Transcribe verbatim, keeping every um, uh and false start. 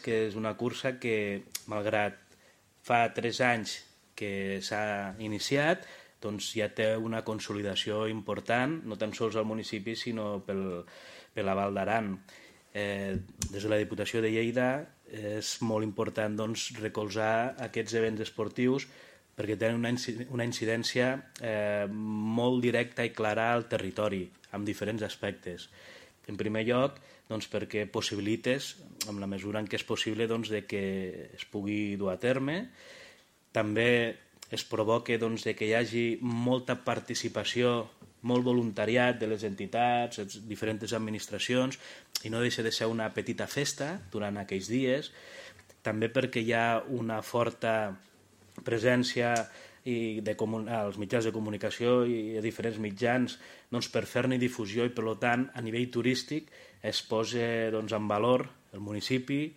que és una cursa que, malgrat fa tres anys que s'ha iniciat, doncs ja té una consolidació important, no tan sols al municipi, sinó pel, per la Val d'Aran. Eh, des de la Diputació de Lleida és molt important doncs, recolzar aquests events esportius perquè tenen una, una incidència eh, molt directa i clara al territori, amb diferents aspectes. En primer lloc, doncs, perquè possibilites, en la mesura en què és possible, doncs, de que es pugui dur a terme. També es provoca doncs, de que hi hagi molta participació, molt voluntariat de les entitats, les diferents administracions, i no deixa de ser una petita festa durant aquells dies. També perquè hi ha una forta presència i de als mitjans de comunicació i a diferents mitjans doncs, per fer-ne difusió i, per tant, a nivell turístic es posa doncs, en valor el municipi,